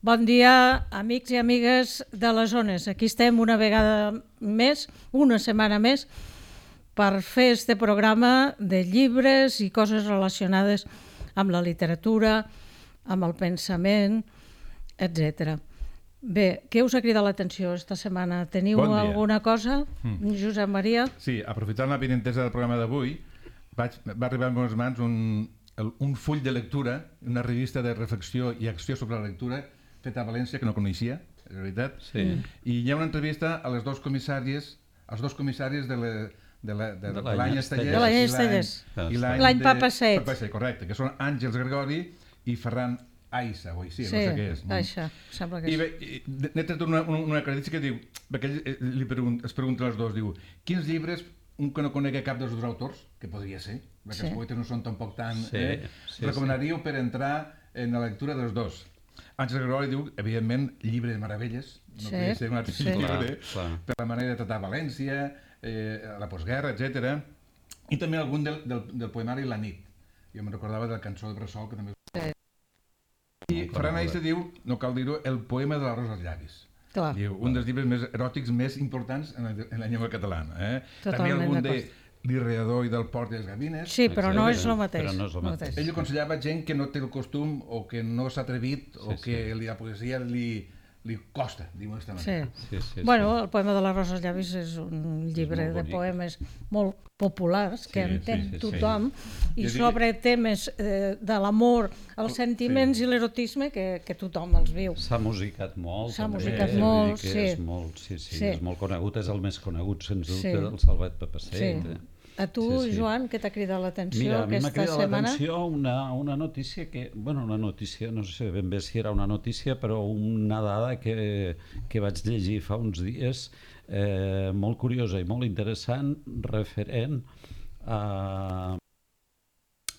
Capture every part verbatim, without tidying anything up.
Bon dia, amics i amigues de les zones. Aquí estem una vegada més, una setmana més, per fer este programa de llibres i coses relacionades amb la literatura, amb el pensament, etcètera. Bé, què us ha cridat l'atenció esta setmana? Teniu Bon dia. alguna cosa, Mm. Josep Maria? Sí, aprofitant la benentesa del programa d'avui, vaig, va arribar a les meves mans un, el, un full de lectura, una revista de reflexió i acció sobre la lectura, feta a València, que no coneixia, és veritat. Sí. I hi ha una entrevista a les dos comissàries, als dos comissaris de la, de la, de, De de l'any l'any Estellers. Estellers. De l'any i Estellers. i l'any L'any de- Papa set. Papa set, correcte, que són Àngels Gregori i Ferran Aissa, o així, Sí, no sé què és. això, sembla que I és. bé, i n'he tret una, una, una acreditació que diu, perquè ell eh, li pregunt, es pregunta als dos, diu, quins llibres, un que no conegui cap dels dos autors, que podria ser, perquè Sí. els poetes no són tampoc tan... Sí, eh, sí, recomanaríeu per entrar en la lectura dels dos. Àngel Gregori diu, evidentment, Llibre de Meravelles, no Sí, podria ser un altre sí. llibre, Clar, clar. per la manera de tratar València, eh, la postguerra, etcètera. I també algun del, del, del poemari La nit. Jo me'n recordava de la cançó de Bressol, que també... I Ferran Aissa diu, no cal dir-ho, el poema de l'arròs als llavis. Clar, Diu, un dels llibres més eròtics més importants en la, en la llengua catalana. Eh? També Totalment algun de d'acord. L'Irreador i del Port i les Gavines. sí, però no és Exacte, el mateix. però no és el mateix. Ell aconsellava gent que no té el costum o que no s'ha atrevit o Sí, que li, la poesia li, li costa, diu aquesta Sí. manera. Sí, sí, Bueno, el poema de la Rosa als llavis és un llibre molt de bonic. poemes molt populars que Sí, entén sí, sí, sí. tothom i Jo dic- sobre temes eh, de l'amor, els sentiments i l'erotisme que, que tothom els viu. S'ha musicat molt. S'ha també, musicat vull dir molt, que sí. És molt, sí, sí, Sí. és molt conegut, és el més conegut, sens dubte, Sí. del Salvat Papasset. Sí. Eh? A tu, Sí, sí. Joan, què t'ha cridat l'atenció Mira, a mi m'ha aquesta cridat setmana? l'atenció una, una notícia que, bueno, una notícia, no sé ben bé si era una notícia, però una dada que, que vaig llegir fa uns dies, eh, molt curiosa i molt interessant, referent a...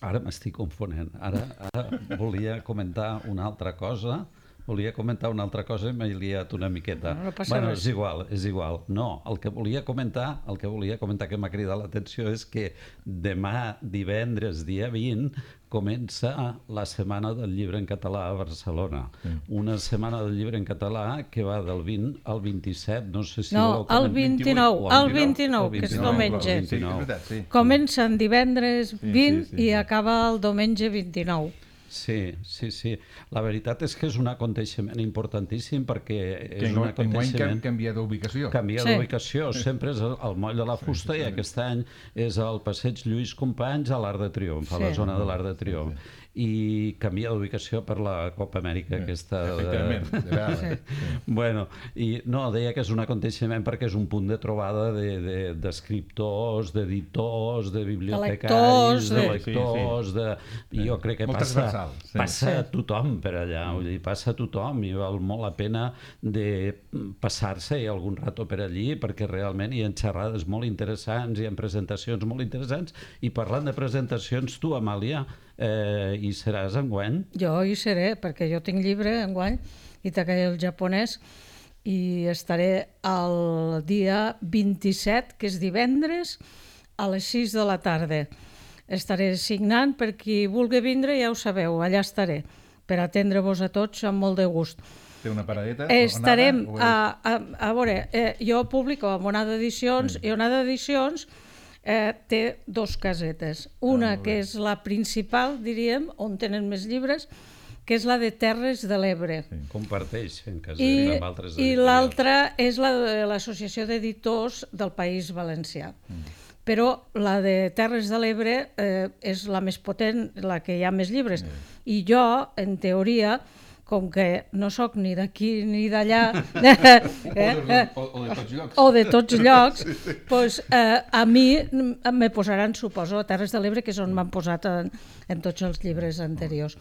Ara m'estic confonent, ara, ara volia comentar una altra cosa, volia comentar una altra cosa i m'he liat una miqueta. No, no passa bueno, res. és igual, és igual. No, el que volia comentar, el que volia comentar que m'ha cridat l'atenció és que demà, divendres, dia vint, comença la Setmana del Llibre en Català a Barcelona. Una setmana del llibre en català que va del vint al vint-i-set, no sé si No, voleu comentar. el vint-i-nou, o el vint-i-nou, que és vint-i-nou, diumenge. el Sí, és vint-i-nou. veritat, sí. Comencen divendres vint sí, sí, i sí. acaba el diumenge vint-i-nou. Sí, sí, sí. La veritat és que és un aconteixement importantíssim perquè Que és un enguany enguany aconteixement... can- canvia d'ubicació. Canvia Sí. d'ubicació, sempre és el, el moll de la fusta i aquest any és al passeig Lluís Companys a l'Arc de Triomf, a la Sí. zona de l'Arc de Triomf. I canvia d'ubicació per la Copa Amèrica aquesta... de- Efectivament. de vegades. Bueno, i no, deia que és un aconteixement perquè és un punt de trobada de- de- d'escriptors, de, d'editors, de lectors, bibliotecaris, de de- lectors, de... I jo crec que Molt passa, transversal, sí. passa Sí. a tothom per allà, vull dir, passa a tothom i val molt la pena de passar-se algun rato per allí perquè realment hi ha xerrades molt interessants, hi ha presentacions molt interessants i parlant de presentacions, tu, Amàlia, eh, hi seràs enguany? Jo hi seré, perquè jo tinc llibre enguany, Itakai el japonès, i estaré el dia vint-i-set, que és divendres, a les sis de la tarda. Estaré signant, per qui vulgui vindre, ja ho sabeu, allà estaré, per atendre-vos a tots amb molt de gust. Té una paradeta? Estarem, Onada, o és- a, a, a veure, eh, jo publico amb Onada Edicions, i Onada Edicions eh, té dos casetes. Una molt que bé. és la principal, diríem, on tenen més llibres, que és la de Terres de l'Ebre. Comparteix en casa I, amb altres i editorials. l'altra és la de l'Associació d'Editors del País Valencià. Mm. Però la de Terres de l'Ebre eh, és la més potent, la que hi ha més llibres. I jo, en teoria, com que no sóc ni d'aquí ni d'allà, eh, O, o, o de tots llocs. o de tots llocs, pues, eh, a mi me posaran, suposo, a Terres de l'Ebre, que és on m'han posat en, en tots els llibres anteriors.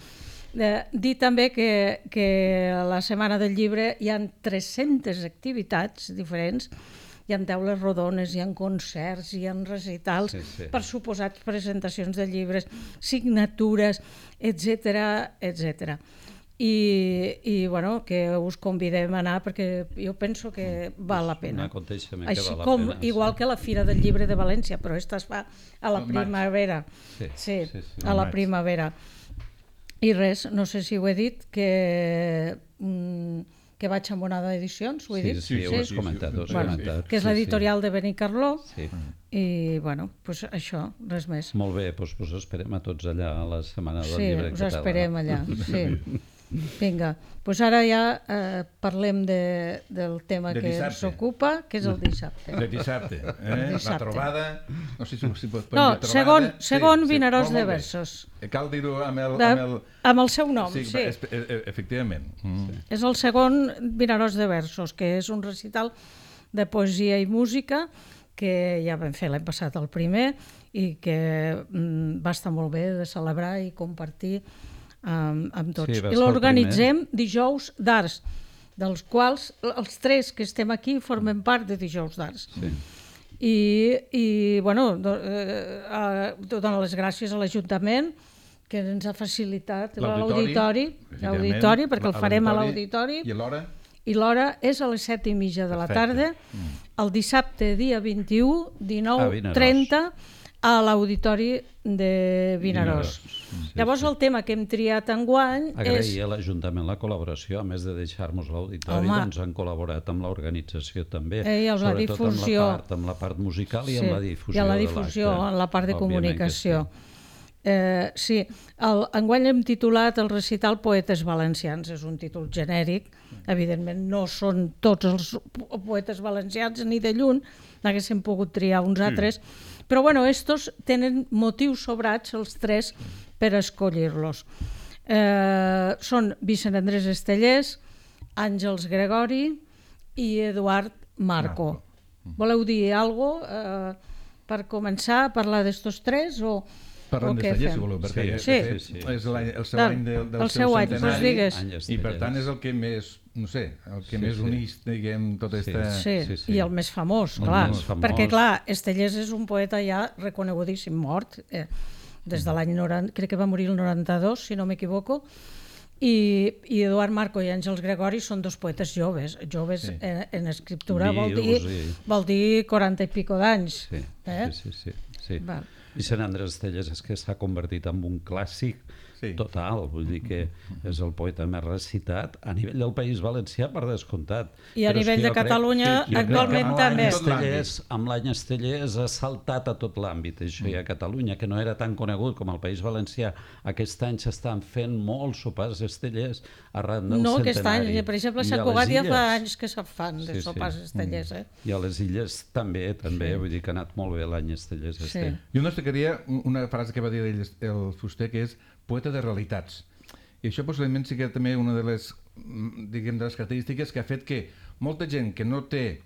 Eh, dir també que, que a la Setmana del Llibre hi ha tres-centes activitats diferents, hi ha taules rodones, hi ha concerts, hi ha recitals, Sí, sí. per suposats presentacions de llibres, signatures, etcètera, etcètera. I, i bueno, que us convidem a anar perquè jo penso que val la Un pena. aconteixement que Així val la com, pena, igual sí. que la Fira del Llibre de València, però aquesta es fa a la Al maig. primavera. Sí, Sí, sí, sí. a la Al maig. primavera. I res, no sé si ho he dit, que, mm, que vaig amb Onada Edicions, ho he Sí, dit? sí, ho has comentat, ho has Bueno, comentat. que és Sí, l'editorial de Benicarló, Sí. i bueno, pues això, res més. Molt bé, doncs us esperem a tots allà a la Setmana del Sí, Llibre us Català. esperem allà, sí. Vinga, doncs ara ja eh, parlem de, del tema De que dissabte. ens ocupa, que és el dissabte. De dissabte, eh? Dissabte. La trobada, no sé si, si pot No, dir trobada. segon, segon Sí, sí. Vinaròs Molt, de molt bé. versos. Cal dir-ho amb el... De, Amb el... amb el seu nom, sí. Sí, es- e- e- efectivament. Mm. És el segon Vinaròs de versos, que és un recital de poesia i música que ja vam fer l'any passat el primer i que mm, va estar molt bé de celebrar i compartir amb, amb tots. Sí, va I ser el l'organitzem dijous d'Arts, dels quals els tres que estem aquí formen part de dijous d'Arts. Sí. I, i bueno, do, eh, eh, donar les gràcies a l'Ajuntament que ens ha facilitat l'auditori, l'auditori, perquè el farem a l'auditori, I l'hora? i l'hora és a les set i mitja de la tarda, el dissabte dia vint-i-u, dinou, A Vinaròs. trenta, a l'auditori de Vinaròs. Sí, Llavors el tema que hem triat enguany Agrair és... a l'Ajuntament la col·laboració, a més de deixar-nos l'auditori, Home. doncs han col·laborat amb l'organització també, Eh, i amb la sobretot difusió. amb la part, amb la part musical i amb la difusió i a la de difusió, l'acte. en la part de Òbviament comunicació. que Eh, sí, el, enguany hem titulat el recital Poetes Valencians, és un títol genèric, evidentment no són tots els po- poetes valencians ni de lluny, n'haguéssim pogut triar uns altres, però bueno, estos tenen motius sobrats, els tres, per escollir-los. Eh, són Vicent Andrés Estellés, Àngels Gregori i Eduard Marco. Voleu dir alguna cosa eh, per començar a parlar d'estos tres o, Parlem o què d'Estellers, si fem? voleu, perquè Sí, de sí, fet, sí. és l'any- el seu Del- any del, del el seu any, doncs centenari, digues. Any i per Estellers. tant és el que més, no sé, el que Sí, més sí. uneix, diguem, tota Sí. esta... Sí, Sí, sí. i el més famós, El clar, més famós. perquè clar, Estellés és un poeta ja reconegudíssim, mort, eh, des de l'any noranta, crec que va morir el noranta-dos, si no m'equivoco, i, i Eduard Marco i Àngels Gregori són dos poetes joves, joves Sí. en, en escriptura vol dir, Vius i- vol dir quaranta i pico d'anys. Sí, eh? sí, sí, sí, sí. Val. Vicent Andrés Estellés és que s'ha convertit en un clàssic Sí. total, vull dir que és el poeta més recitat a nivell del País Valencià, per descomptat. I a Però és nivell que de jo crec- Catalunya, jo crec que actualment amb també. l'any Tot l'àmbit. Estellés, amb l'any Estellés ha saltat a tot l'àmbit, això, i a Catalunya, que no era tan conegut com el País Valencià. Aquest any s'estan fent molts sopars Estellers arran del No aquest any, centenari. per exemple, a I Sant les Cugat ja fa Illes. anys que se'n fan de Sí, sí. sopars estellers. Eh? I a les Illes també, també, vull dir que ha anat molt bé l'any Estellers. Sí. Este. Jo no destacaria una frase que va dir ell, el Fuster, que és poeta de realitats. I això possiblement sí que també una de les, mm, diguem, de les característiques que ha fet que molta gent que no té,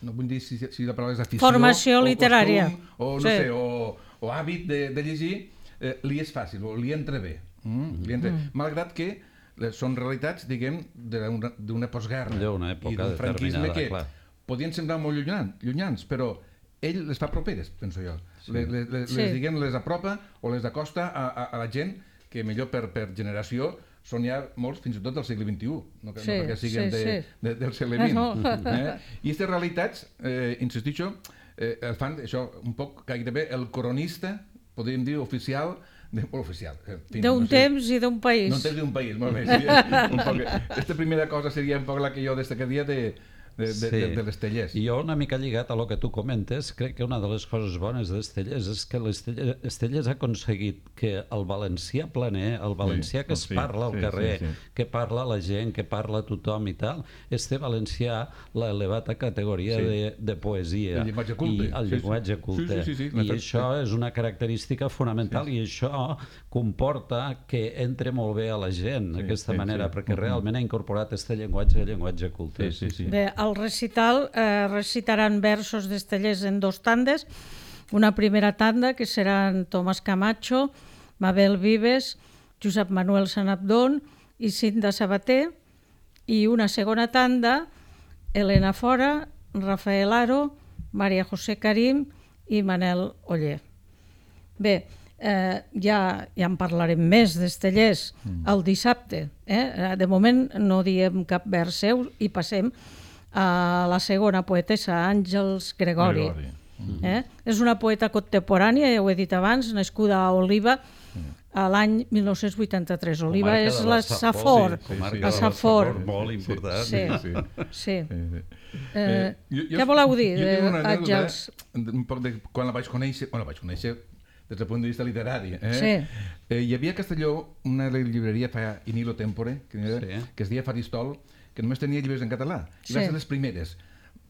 no vull dir si, si la paraula és afició, Formació o literària. costum, o, no Sí. sé, o, o hàbit de, de llegir, eh, li és fàcil, o li entra bé. Mm? Li entra... Mm. Malgrat que eh, són realitats, diguem, d'una d'una postguerra. D'una època i d'un franquisme determinada, que clar. podien semblar molt llunyans, llunyans, però ell les fa properes, penso jo. Sí. Les, les, les, Sí. diguem, les apropa o les acosta a, a, a la gent que millor per, per generació són ja molts, fins i tot del segle vint-i-u, no, que- Sí, no perquè siguin sí, de, sí. de, del segle vint. No. Eh? I aquestes realitats, eh, insistixo, eh, el fan això un poc gairebé el coronista, podríem dir oficial, de, o oficial. en fi, D'un no sé. temps i d'un país. No un temps d'un país, molt bé. Seria un poc, esta primera cosa seria un poc la que jo destacaria de, de, de, Sí. de, de l'Estellers. I jo, una mica lligat a lo que tu comentes, crec que una de les coses bones d'Estellers és que l'Estellers Estellers ha aconseguit que el valencià planer, el valencià que es sí, parla al sí, carrer, sí, sí. que parla la gent, que parla tothom i tal, este valencià l'ha elevat a categoria Sí. de, de poesia. El llenguatge culte. I el Sí, sí. llenguatge culte. Sí, sí, sí, sí. I La- això és una característica fonamental i això comporta que entre molt bé a la gent d'aquesta sí, manera, sí. perquè realment ha incorporat este llenguatge, llenguatge culte. Sí, sí, sí. Bé, al recital eh, recitaran versos d'Estellers en dos tandes. Una primera tanda que seran Tomàs Camacho, Mabel Vives, Josep Manuel Sanabdón i Cinta Sabater, i una segona tanda, Elena Fora, Rafael Aro, Maria José Karim i Manel Oller. Bé, eh, ja, ja en parlarem més d'Estellers el dissabte. Eh? De moment no diem cap vers seu i passem a la segona poetessa, Àngels Gregori. Gregori. Eh? És una poeta contemporània, ja ho he dit abans, nascuda a Oliva a l'any mil nou-cents vuitanta-tres. Oliva Comarca és de la la Safor. Sí, comarca la de la Safor. Safor, molt important. Sí, Sí, sí. Eh, Eh, jo- jo- què voleu dir, jo tinc una eh, anècdota, Àngels? un poc de quan la vaig conèixer, bueno, la vaig conèixer des del punt de vista literari. Eh? Sí. Eh, hi havia a Castelló una llibreria fa in illo tempore, que, Sí. que es deia Faristol, que només tenia llibres en català. I va Sí. ser les primeres.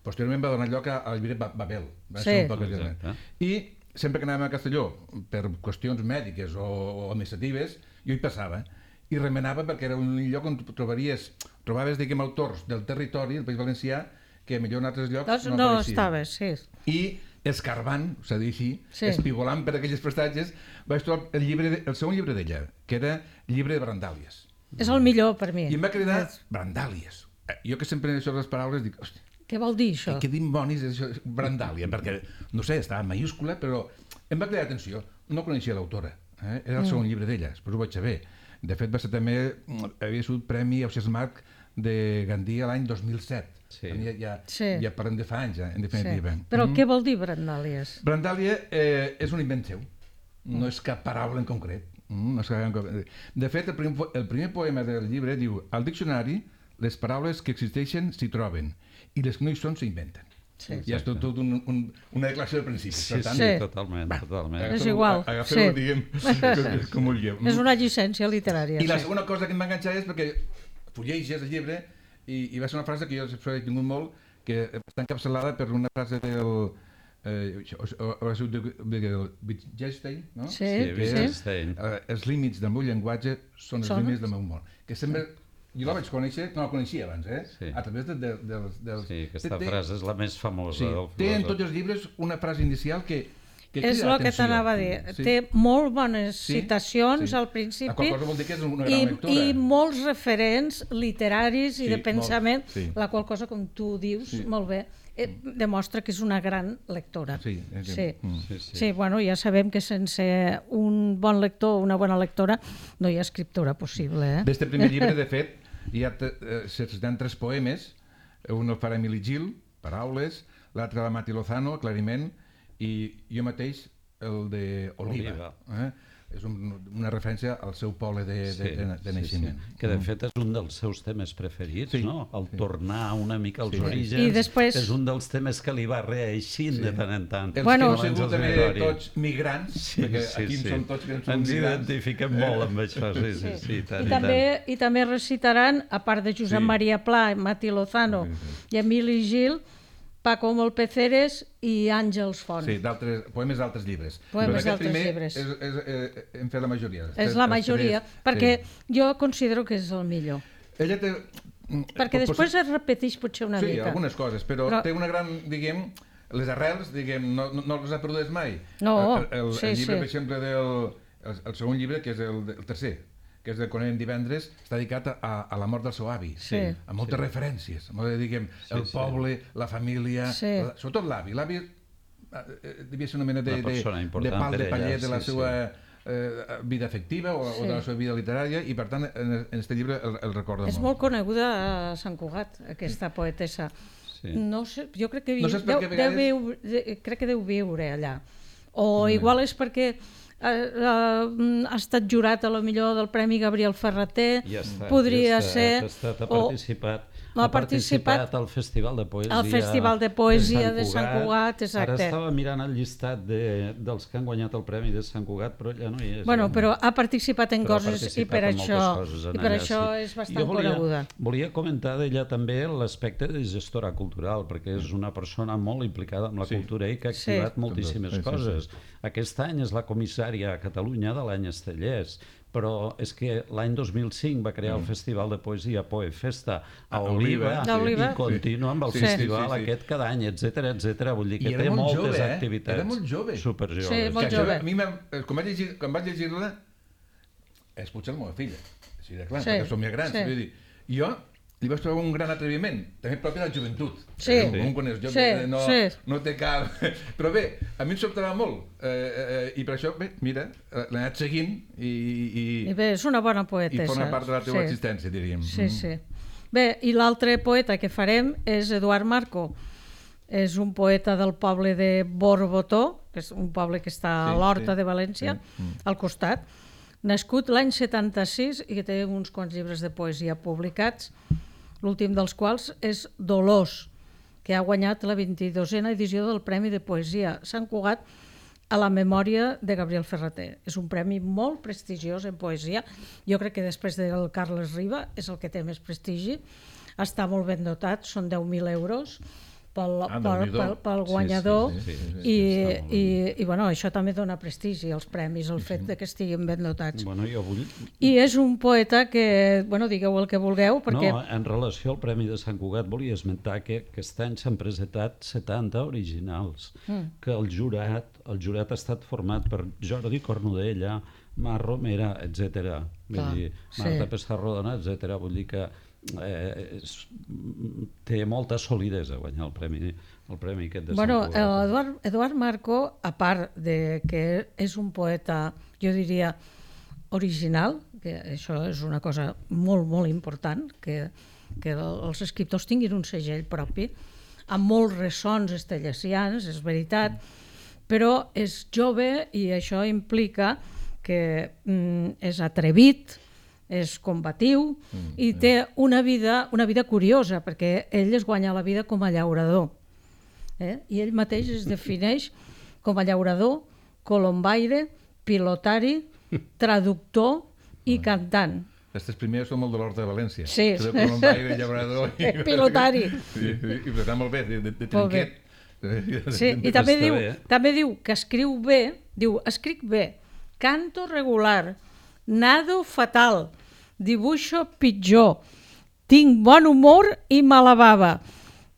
Posteriorment va donar lloc a- al llibret Ba- Babel. Va Sí. ser un poc Exacte. diferent. I sempre que anàvem a Castelló, per qüestions mèdiques o, o administratives, jo hi passava i remenava perquè era un lloc on trobaries, trobaves, diguem, autors del territori, del País Valencià, que millor en altres llocs Doncs no, no apareixien. estaves, sí. I escarbant, s'ha de dir així, Sí. espigolant per aquelles prestatges, vaig trobar el, llibre de, el segon llibre d'ella, que era Llibre de Brandàlies. És el millor per mi. I em va cridar És- Brandàlies. Eh, Jo que sempre això de les paraules dic, hòstia, Què vol dir això? què dimonis és això, Brandàlia? Perquè, no sé, estava en mayúscula, però em va cridar atenció. No coneixia l'autora, eh? Era el segon llibre d'ella, després ho vaig saber. De fet, va ser també, havia sigut Premi Ausiàs Marc de Gandia l'any dos mil set. Sí. Ja, ja, Sí. ja parlem de fa anys, ja, en Sí. definitiva. Però Mm. què vol dir Brandàlies? Brandàlia eh, és un invent seu, no és cap paraula en concret. Mm, no és cap en concret. De fet, el primer, po- el primer poema del llibre diu: al diccionari, les paraules que existeixen s'hi troben i les que no hi són s'inventen. Sí. Ja és tot, tot un, un, una declaració de principis. Sí, Per tant, sí, Sí. totalment, totalment. És agafeu-ho- igual, agafeu-ho, sí. diguem, com, com vulgueu. És una llicència literària. I la sí. segona cosa que em va enganxar és perquè fulleges el llibre i, i va ser una frase que jo sempre he tingut molt, que està encapçalada per una frase del eh, això, o- o- ha sigut de- del Wittgenstein, no? Sí, Sí, que sí. Wittgenstein. Eh, els límits del meu llenguatge són els Són? límits del meu món. Que sempre... Jo la vaig conèixer, no la coneixia abans, eh? Sí. A través de, de, dels... dels... Sí, aquesta té- té- frase és la més famosa Sí, del té en filòsof. tots els llibres una frase inicial que, que És crida el que l'atenció. t'anava a dir. Sí. Té molt bones Sí, citacions sí. al La principi qual cosa vol dir que és una gran i, lectura. i molts referents literaris i Sí, de molt, pensament, sí. la qual cosa, com tu dius, Sí. molt bé, eh, demostra que és una gran lectora. Sí, és- sí. mm. Sí, sí. Sí, bueno, ja sabem que sense un bon lector o una bona lectora no hi ha escriptura possible. Eh? D'este primer llibre, de fet, hi ha te- eh, se citen tres poemes, un el farà Emili Gil, Paraules, l'altre la Mati Lozano, Aclariment, i jo mateix el de Oliva. Oliva. Eh? És un, una referència al seu poble de, de, Sí, de, de sí, naixement. sí. Que de fet és un dels seus temes preferits, Sí, no? El sí. tornar una mica als Sí. orígens I després- és un dels temes que li va reeixint Sí. de tant en tant. Els Bueno- que hem sigut també Gregori. tots migrants, Sí, perquè sí, aquí sí. som tots que som Ens migrants. identifiquem molt amb això, sí, sí, sí, i tant, I, i també, I també recitaran, a part de Josep Sí. Maria Pla, Mati Lozano Sí, i Emili Gil, Paco Molpeceres i Àngels Font. Sí, d'altres poemes d'altres llibres. Poemes Però aquest d'altres primer llibres. És, és, eh, hem fet la majoria. Els És tres- la els majoria, tres, perquè sí. jo considero que és el millor. Ella té... Perquè pot- després es repeteix potser una sí, mica. algunes coses, però, Però- però té una gran, diguem, les arrels, diguem, no, no, no les ha perdudes mai. No, el, el, sí, el llibre, sí. per exemple, del el, el segon llibre, que és el, el tercer, que és de Conent divendres, està dedicat a, a la mort del seu avi. Sí. Amb moltes sí. referències. Molt de, diguem, Sí, el sí. poble, la família, Sí. la, sobretot l'avi. L'avi eh, devia ser una mena de, Una de, persona de important pal per de ella, pallet de la sí, seva eh, vida afectiva o, Sí. o de la seva vida literària i, per tant, en, en este llibre el, el recorda És molt. molt coneguda a Sant Cugat, aquesta poetessa. Sí. No sé, jo crec que, No saps per deu, què a deu, vegades- viure, de- crec que deu viure allà. O igual és perquè eh, eh, ha estat jurat a lo millor del Premi Gabriel Ferrater, Ja està, podria ja està, ser... Ha, estat, ha o- participat, ha ha participat participat al Festival de Poesia, al Festival de Poesia de Sant Cugat, exacte. Ara estava mirant el llistat de, dels que han guanyat el Premi de Sant Cugat, però ja no hi és. Bueno, ja. però ha participat en Però ha coses i participat per en moltes això, coses en i per allà, això sí. és bastant Jo volia, coneguda. Volia comentar d'ella també l'aspecte de gestora cultural, perquè és una persona molt implicada amb la Sí. cultura i que ha Sí. activat moltíssimes Sí, sí, sí. coses. Aquest any és la comissària a Catalunya de l'any Estellers, però és que l'any dos mil cinc va crear el Festival de Poesia Poefesta a A Oliva, Oliva, sí. D'Oliva. i continua amb el Sí, sí, festival sí, sí. aquest cada any, etcètera, etcètera. Vull dir que I era té molt moltes jove, eh? activitats. Era molt jove. Superjoves. Sí, molt Que això, jove. a mi, m'ha- eh, quan vaig llegir, quan vaig llegir-la, és potser la meva filla, així de clar, Sí, perquè som ja grans. sí. Vull dir, jo li vaig trobar un gran atreviment, també propi de la joventut. Sí. Eh, Un quan és jove Sí, no, sí. no té cap... Però bé, a mi em sobtava molt, eh, eh, i per això, bé, mira, eh, l'he anat seguint i, i, I bé, és una bona i poetessa. forma part de la teva sí. existència, diríem. Sí, sí. Bé, i l'altre poeta que farem és Eduard Marco. És un poeta del poble de Borbotó, que és un poble que està a Sí, l'Horta sí. de València, Sí, mm. al costat. nascut l'any setanta-sis i que té uns quants llibres de poesia publicats, l'últim dels quals és Dolors, que ha guanyat la vint-i-dosena edició del Premi de Poesia Sant Cugat a la memòria de Gabriel Ferrater. És un premi molt prestigiós en poesia. Jo crec que després del Carles Riba és el que té més prestigi. Està molt ben dotat, són deu mil euros pel, Ah, pel, pel, pel guanyador. Sí, sí, sí, sí, sí, I, està molt i, i bueno, això també dona prestigi als premis, el fet de que estiguin ben dotats. Bueno, jo vull... I és un poeta que, bueno, digueu el que vulgueu, perquè... No, en relació al Premi de Sant Cugat volia esmentar que aquest any s'han presentat setanta originals, mm. que el jurat, el jurat ha estat format per Jordi Cornudella, Mar Romera, etcètera. Vull Clar, dir, Marta sí. Pessarrodona, etcètera. Vull dir que eh, és, té molta solidesa guanyar el premi, el premi aquest de Bueno, Sant Cugat. Eduard, Eduard Marco, a part de que és un poeta, jo diria, original, que això és una cosa molt, molt important, que, que els escriptors tinguin un segell propi, amb molts ressons estellesians, és veritat, però és jove i això implica que mm, és atrevit, és combatiu mm, i té una vida, una vida curiosa, perquè ell es guanya la vida com a llaurador. Eh? I ell mateix es defineix com a llaurador, colombaire, pilotari, traductor i cantant. Aquestes primeres són molt de l'Horta de València. Sí. De colombaire, llaurador i... Pilotari. Sí, sí, i està molt bé, de, de, de Molt bé. trinquet. Sí, i també Està diu, bé, eh? també diu que escriu bé, diu, escric bé, canto regular, nado fatal, dibuixo pitjor, tinc bon humor i mala bava,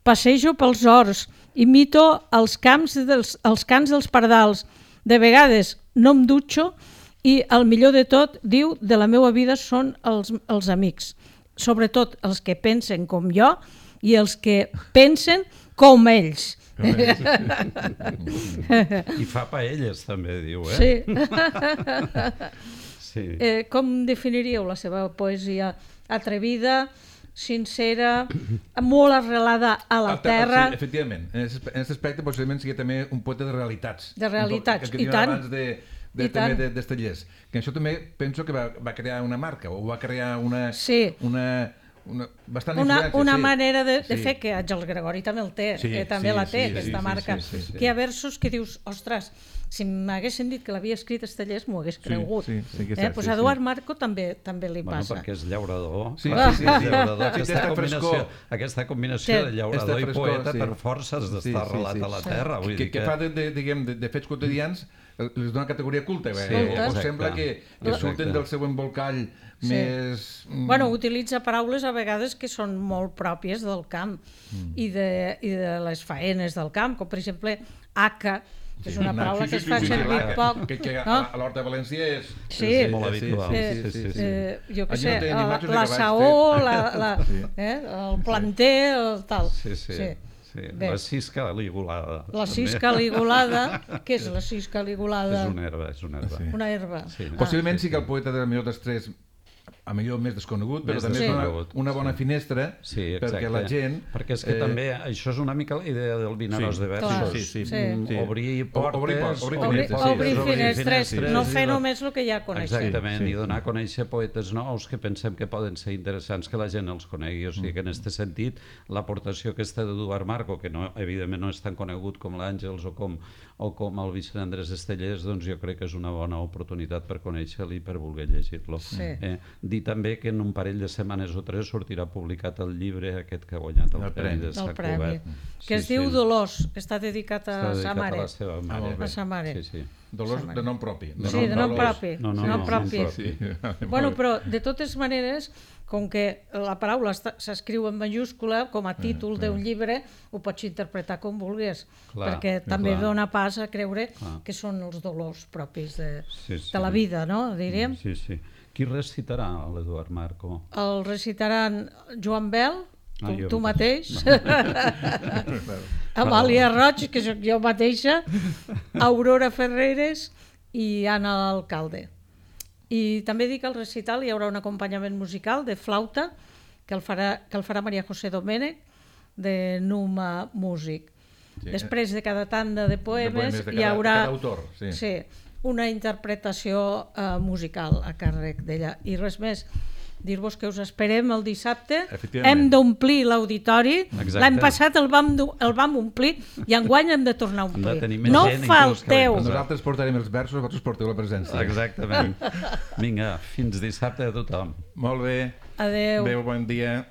passejo pels horts, imito els camps dels, els cants dels pardals, de vegades no em dutxo i el millor de tot, diu, de la meva vida són els, els amics, sobretot els que pensen com jo i els que pensen com ells. I fa paelles també, diu, eh? Sí. Sí. Eh, com definiríeu la seva poesia? Atrevida, sincera, molt arrelada a la Ah, ta- terra. Sí, efectivament. En aquest aspecte possiblement sigui també un poeta de realitats. De realitats, Un poeta que i diuen tant. abans de, de, I també tant. de, d'Estellers. Que això també penso que va, va crear una marca, o va crear una... Sí. una, una bastant Una, influència, una sí. manera de, de Sí. fer que Àngel Gregori també el té, Sí, eh, també sí, la té, sí, aquesta sí, sí, marca. sí, sí, sí. Que hi ha versos que dius, ostres, si m'haguessin dit que l'havia escrit Estellers m'ho hagués cregut. sí, sí que és eh? cert, pues sí, a Eduard sí. Marco també també li Bueno, passa. perquè és llaurador. Sí, clar, sí, sí, és sí. llaurador. Sí, Aquesta, té combinació, frescor. aquesta combinació Té. de llaurador Esta i frescor, poeta sí. per forces d'estar Sí, sí, arrelat sí. a la terra. Vull que, dir que fa de, de, diguem, de, de fets quotidians eh, les dona categoria culta, Sí, eh? o, o exacte. sembla que, que Exacte. surten del seu embolcall Sí. més... mm, Bueno, utilitza paraules a vegades que són molt pròpies del camp Mm. i, de, i de les faenes del camp, com per exemple aca, que és una no, paraula sí, que sí, es fa sí, sí, servir l'aca, poc. Que, que a, no? a l'Horta de València és... Sí. És molt habitual. Eh, Sí, sí, sí. Eh, jo què Allí sé, no tenen la, imatges de la cavalls, saó, sí. la, la, Sí. eh, el planter, el tal. Sí, sí. sí. sí. Bé. La cisca ligulada. La també. cisca ligulada, què és la cisca ligulada? És una herba, és una herba. Sí. Una herba. Sí. Ah. Possiblement sí que el poeta de millor dels tres a millor més desconegut, però Més també és una, desconegut, una bona sí. finestra Sí, exacte. perquè la gent... Perquè és que eh, també això és una mica la idea del Vinaròs Sí. de versos. Clar, sí, sí, sí. Mm, sí. Obrir O- portes, obrir por- obrir Obrir, finestres, sí. obrir Obrir finestres, finestres, no i fer donar- només el que ja coneixem. Exactament, Sí, sí. i donar a conèixer poetes nous que pensem que poden ser interessants que la gent els conegui. O sigui que en aquest sentit l'aportació aquesta d'Eduard Marco, que no, evidentment no és tan conegut com l'Àngels o com, o com el Vicent Andrés Estellers, doncs jo crec que és una bona oportunitat per conèixer-lo i per voler llegir-lo. Sí. Eh, dir també que en un parell de setmanes o tres sortirà publicat el llibre aquest que ha guanyat el, El Premi de Del Sant premi, Cugat. que es diu Dolors, que està dedicat a Està sa dedicat mare. a la seva Ah, mare. molt bé. A sa mare. Sí, sí. Dolors de nom propi. Sí, de nom Dolors. propi. No, no, nom no, propi. nom Sí. Bueno, Molt bé. però de totes maneres, com que la paraula està- s'escriu en majúscula, com a títol d'un llibre, ho pots interpretar com vulguis, Clar, perquè també clar. dona pas a creure Clar. que són els dolors propis de, Sí, sí. de la vida, no? Diríem. Sí, sí. Qui recitarà l'Eduard Marco? El recitaran Joan Bel, tu, Ah, jo tu mateix. mateix, Amàlia Roig, que sóc jo mateixa, Aurora Ferreres i Anna Alcalde. I també dic que al recital hi haurà un acompanyament musical de flauta que el farà, que el farà Maria José Domènech de Numa Músic. Sí. Després de cada tanda de poemes, De poemes de hi cada- haurà... cada autor, sí. sí, una interpretació eh, musical a càrrec d'ella. I res més, dir-vos que us esperem el dissabte. Hem d'omplir l'auditori. L'any passat el vam, el vam omplir i enguany hem de tornar a omplir. No falteu. Nosaltres portarem els versos, vosaltres porteu la presència. Exactament. Vinga, fins dissabte a tothom. Molt bé. Adéu. Adéu, bon dia.